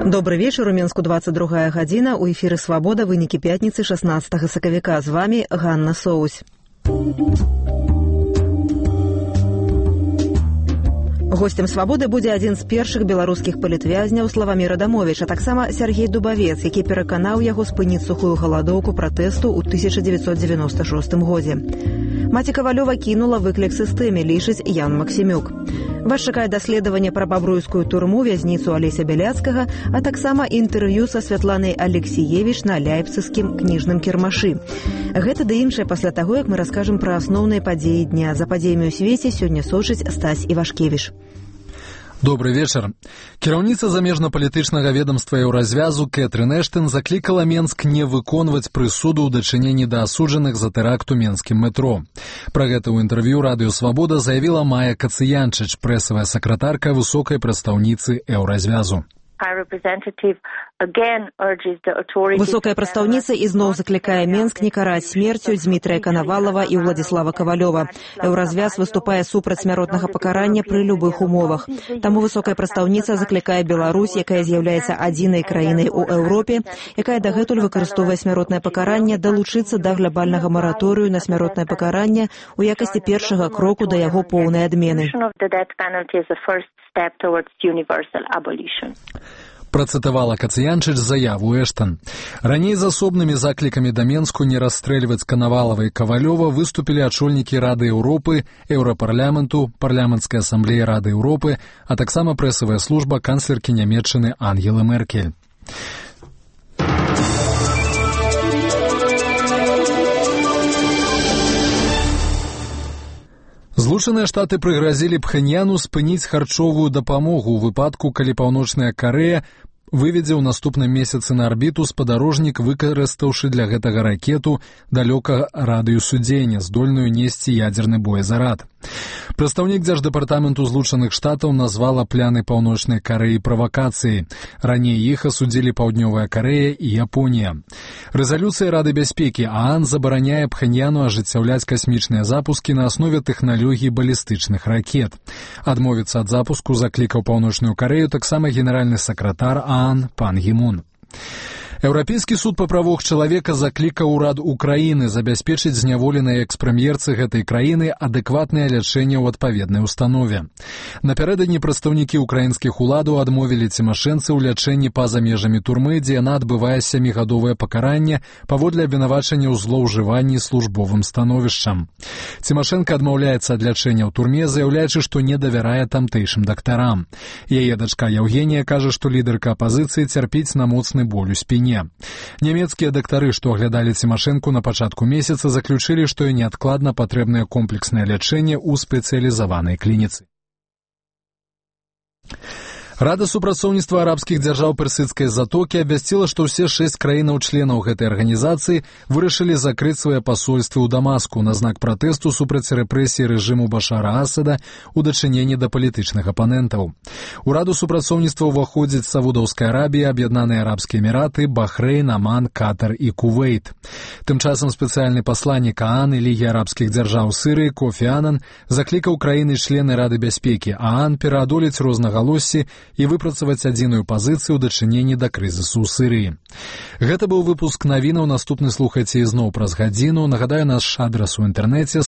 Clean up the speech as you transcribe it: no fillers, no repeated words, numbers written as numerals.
Добрый вечер. У Мінску 22 гадзіна. У эфіры «Свабода». Вынікі пятніцы 16 сакавіка. З вами Ганна Соусь. Гостем «Свабоды» будзе адзін з першых беларускіх палітвязняў Славамір Адамовіч, а таксама Сергей Дубавец, які пераканаў яго спыніць сухую галадоўку пратэсту ў 1996 годзе. Маці Кавалёва кінула выклік сістэме, лічыць Ян Максімюк. Вас чакае даследаванне пра бабруйскую турму, вязніцу Алеся Бяляцкага, а таксама інтэрв'ю са Святланай Алексіевіч на ляйпцыгскім кніжным кірмашы. Гэта ды іншае пасля таго, як мы раскажам пра асноўныя падзеі дня. За падзеямі ў свеце сёння сочыць Стась Івашкевіч. Добрый вечер. Кіраўніца замежна-палітычнага ведомства Еўразвязу Кэтрын Эштон заклікала Менск не выконваць прысуду ў дачыненні да асуджаных за тэракт у менскім метро. Пра гэта ў інтэрв'ю радыё «Свабода» заявіла Майя Кацыянчыч, прэсавая сакратарка высокай прадстаўніцы Еўразвязу. Высокая прадстаўніца ізноў заклікае Менск не караць смерцю Дмітрия Канавалова і Владислава Кавалёва. Еўразвяз выступае супраць смяротнага пакарання пры любых умовах. Таму высокая прадстаўніца заклікае Беларусь, якая з'яўляецца адзінай краінай у Еўропе, якая дагэтуль выкарыстоўвае смяротнае пакаранне, далучыцца да глобальнага мараторыю на смяротнае пакаранне у якасці першага кроку да яго поўнай адмены. Працытавала Кацыянчыч заяву Эштон. Раней з асобнымі заклікамі да Менску не расстрэльваць Канавалова і Кавалёва выступілі ачольнікі Рады Еўропы, Еўрапарламенту, Парламенцкай асамблеі Рады Еўропы, а таксама прэсавая служба канцлеркі Нямецчыны Ангелы Меркель. Злучаныя Штаты прыгразілі Пхэньяну спыніць харчовую дапамогу ў выпадку, калі Паўночная Карэя выведзе ў наступным месяцы на арбіту спадарожнік, выкарыстаўшы для гэтага ракету далёкага радыусу дзеяння, здольную несці ядзерны боезарад. Прадстаўнік Дзярждэпартаменту Злучаных Штатаў назвала пляны Паўночнай Карэі правакацыяй. Раней іх асудзілі Паўднёвая Карэя і Японія. Рэзалюцыя Рады бяспекі ААН забараняе Пхэньяну ажыццяўляць касмічныя запускі на аснове тэхналогій балістычных ракет. Адмовіцца ад запуску заклікаў Паўночную Карэю таксама генеральны сакратар ААН Пан Гі Мун. Еўрапейскі суд па правах чалавека заклікаў урад Украіны забяспечыць зняволенай экс-прэм'ерцы гэтай краіны адэкватнае лячэнне ў адпаведнай установе. Напярэдадні прадстаўнікі украінскіх уладаў адмовілі Цімашэнцы ў лячэнні па-за межамі турмы, дзе яна адбывае 7гадовае пакаранне паводле абвінавачання ў злоўжыванні службовым становішчам. Цімашэнка адмаўляецца ад лячэння ў турме, заяўляючы, што не давярае тамтэйшым дактарам. Яе дачка Яўгенія кажа, што лідарка апазіцыі цярпіць на моцны боль у спіне. Нямецкія дактары, што аглядалі Цімашэнку на пачатку месяца, заключылі, што і неадкладна патрэбнае комплекснае лячэнне ў спецыялізаванай клініцы. Рада супрацоўніцтва арабскіх дзяржаў Персідскай затокі абвясціла, што ўсе 6 краінаў-членаў гэтай арганізацыі вырашылі закрыць свае пасольствы ў Дамаску на знак пратэсту супраць рэпрэсій рэжыму Башара Асада ў дачыненні да палітычных апанентаў. У раду супрацоўніцтва ўваходзяць Саудаўская Арабія, Аб'яднаныя Арабскія Эміраты, Бахрэйн, Аман, Катар і Кувейт. Тым часам спецыяльны пасланнік ААН і Лігі арабскіх дзяржаў Сырыі Кофі Анан заклікаў краіны-члены Рады бяспекі ААН пераадолець рознагалоссі і выпрацаваць адзіную пазіцыю ў дачыненні да крызісу ў Сырыі. Гэта быў выпуск навінаў, наступны слухайце ізноў праз гадзіну. Нагадаю, наш адрас у інтэрнэце